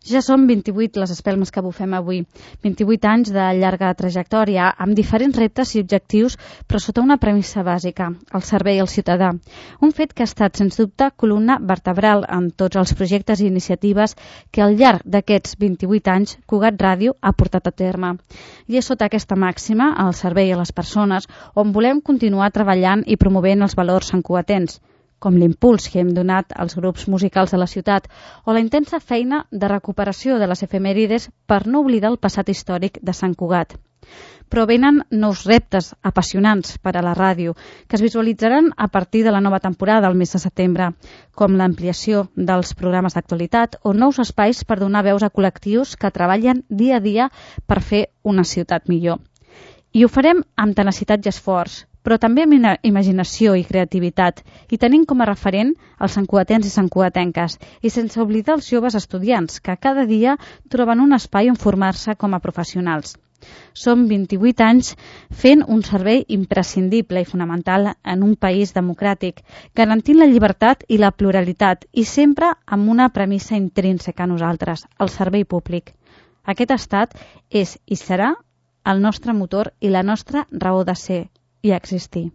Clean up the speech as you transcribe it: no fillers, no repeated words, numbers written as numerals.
Ja són 28 les espelmes que bufem avui, 28 anys de llarga trajectòria, amb diferents reptes i objectius, però sota una premissa bàsica, el servei al ciutadà. Un fet que ha estat, sens dubte, columna vertebral en tots els projectes i iniciatives que al llarg d'aquests 28 anys Cugat Ràdio ha portat a terme. I és sota aquesta màxima, el servei a les persones, on volem continuar treballant i promovent els valors santcugatens, com l'impuls que hem donat als grups musicals de la ciutat o la intensa feina de recuperació de les efemèrides per no oblidar el passat històric de Sant Cugat. Però venen nous reptes apassionants per a la ràdio, que es visualitzaran a partir de la nova temporada al mes de setembre, com l'ampliació dels programes d'actualitat o nous espais per donar veus a col·lectius que treballen dia a dia per fer una ciutat millor. I ho farem amb tenacitat i esforç, però també amb imaginació i creativitat, i tenint com a referent els santcugatens i santcugatenques, i sense oblidar els joves estudiants, que cada dia troben un espai on formar-se com a professionals. Som 28 anys fent un servei imprescindible i fonamental en un país democràtic, garantint la llibertat i la pluralitat, i sempre amb una premissa intrínseca a nosaltres, el servei públic. Aquest estat és i serà el nostre motor i la nostra raó de ser i existir.